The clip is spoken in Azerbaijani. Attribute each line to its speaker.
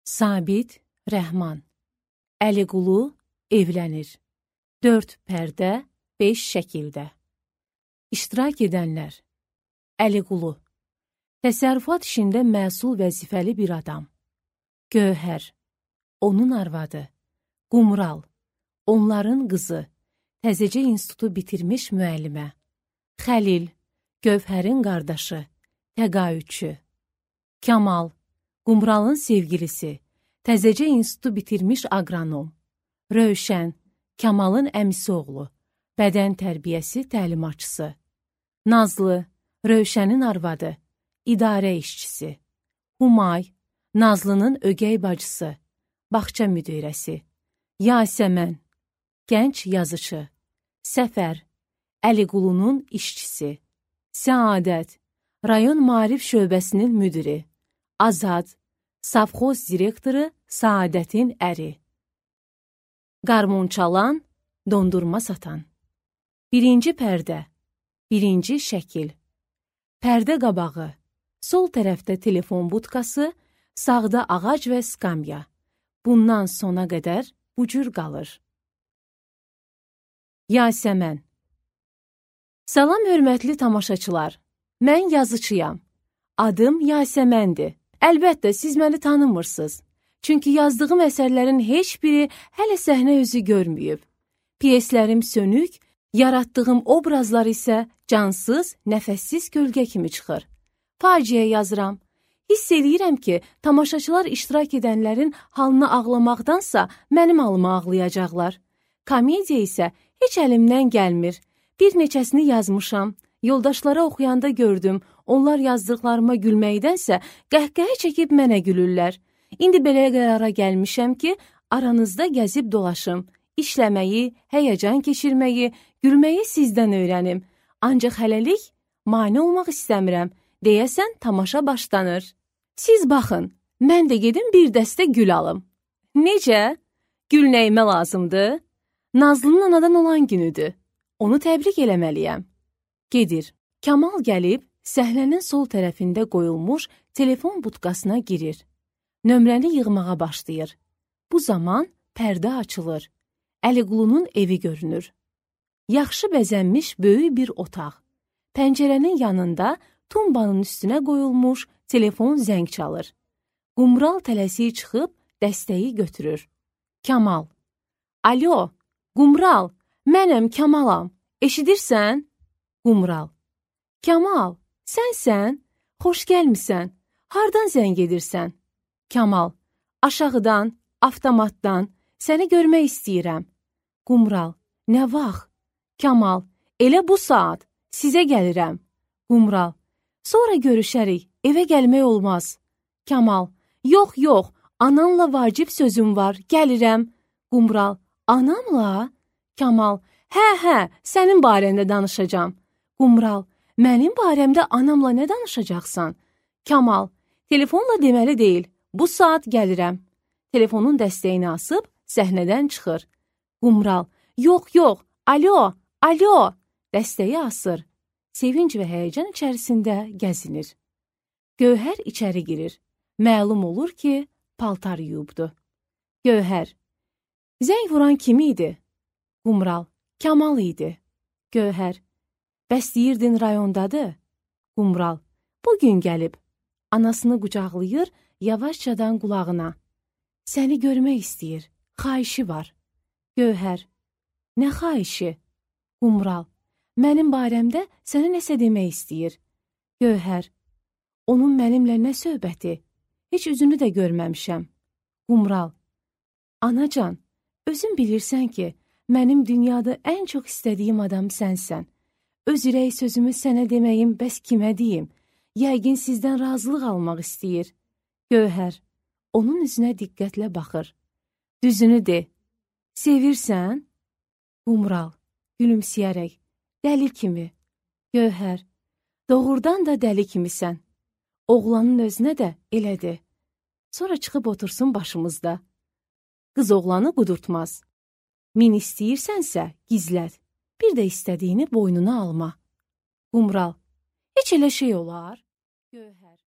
Speaker 1: Sabit Rəhman. Əliqulu evlənir. 4 pərdə, 5 şəkildə. İştirak edənlər: Əliqulu, təsərrüfat işində məsul vəzifəli bir adam. Gövhər, onun arvadı. Qumral, onların qızı, təzəcə institutu bitirmiş müəllimə. Xəlil, Gövhərin qardaşı, təqaüdçü. Kamal, Qumralın sevgilisi, təzəcə institutu bitirmiş aqronom. Rövşən, Kamalın əmisi oğlu, bədən tərbiyəsi təlimatçısı. Nazlı, Rövşənin arvadı, idarə işçisi. Humay, Nazlının ögey bacısı, bağça müdirəsi. Yasəmən, gənc yazıcı. Səfər, Əliqulunun işçisi. Səadət, rayon maarif şöbəsinin müdiri. Azad, savxoz direktoru, Saadətin əri. Qarmon çalan, dondurma satan. 1-ci pərdə, 1-ci şəkil. Pərdə qabağı, sol tərəfdə telefon budkası, sağda ağac və skamya. Bundan sona qədər bu cür qalır. Yasəmən. Salam hörmətli tamaşaçılar, mən yazıçıyam. Adım Yasəməndir. Əlbəttə, siz məni tanımırsınız. Çünki yazdığım əsərlərin heç biri hələ səhnə özü görməyib. Pyeslərim sönük, yaratdığım obrazlar isə cansız, nəfəssiz kölgə kimi çıxır. Faciə yazıram. Hiss eləyirəm ki, tamaşaçılar iştirak edənlərin halına ağlamaqdansa mənim halıma ağlayacaqlar. Komediya isə heç əlimdən gəlmir. Bir neçəsini yazmışam. Yoldaşlara oxuyanda gördüm, onlar yazdıqlarıma gülməkdənsə qəhqəhə çəkib mənə gülürlər. İndi belə qərara gəlmişəm ki, aranızda gəzib dolaşım. İşləməyi, həyəcan keçirməyi, gülməyi sizdən öyrənim. Ancaq hələlik mane olmaq istəmirəm. Deyəsən, tamaşa başlanır. Siz baxın, mən də gedim bir dəstə gül alım. Necə? Gül nəyimə lazımdır? Nazlının anadan olan günüdür. Onu təbrik eləməliyəm. Gedir. Kamal gəlib, səhnənin sol tərəfində qoyulmuş telefon budkasına girir. Nömrəni yığmağa başlayır. Bu zaman pərdə açılır. Əliqulunun evi görünür. Yaxşı bəzənmiş böyük bir otaq. Pəncərənin yanında tumbanın üstünə qoyulmuş telefon zəng çalır. Qumral tələsik çıxıb dəstəyi götürür. Kamal. Alo, Qumral, mənəm Kamalam. Eşidirsən? Qumral. Kamal, sənsən? Xoş gəlmisən. Hardan zəng edirsən? Kamal. Aşağıdan, avtomatdan. Səni görmək istəyirəm. Qumral. Nə vaxt? Kamal. Elə bu saat. Sizə gəlirəm. Qumral. Sonra görüşərik. Evə gəlmək olmaz. Kamal. Yox, yox. Anamla vacib sözüm var. Gəlirəm. Qumral. Anamla? Kamal. Hə, sənin barəndə danışacağam. Qumral. Mənim barəmdə anamla nə danışacaqsan? Kamal. Telefonla deməli deyil. Bu saat gəlirəm. Telefonun dəstəyini asıb səhnədən çıxır. Qumral. Yox, yox. Alo, alo. Dəstəyi asır. Sevinc və həyəcan içərisində gəzinir. Gövhər içəri girir. Məlum olur ki, paltar yuyubdu. Gövhər. Zəng vuran kim idi? Qumral. Kamal idi. Gövhər. Bəs deyirdin rayondadır? Qumral. Bugün gəlib. Anasını qucaqlayır, yavaşcadan qulağına. Səni görmək istəyir. Xahişi var. Gövhər. Nə xahişi? Qumral. Mənim barəmdə sənə nəsə demək istəyir. Gövhər. Onun mənimlə nə söhbəti? Heç üzünü də görməmişəm. Qumral. Anacan, özün bilirsən ki, mənim dünyada ən çox istədiyim adam sənsən. Öz ürək sözümü sənə deməyim, bəs kimə deyim? Yəqin sizdən razılıq almaq istəyir. Gövhər, onun üzünə diqqətlə baxır. Düzünü de. Sevirsən? Qumral, gülümsəyərək. Dəli kimi. Gövhər, doğrudan da dəli kimisən. Oğlanın özünə də elədi. Sonra çıxıb otursun başımızda. Qız oğlanı qudurtmaz. Min istəyirsənsə, gizlət. Bir də istədiyini boynuna alma. Qumral. Heç elə şey olar? Gövhər.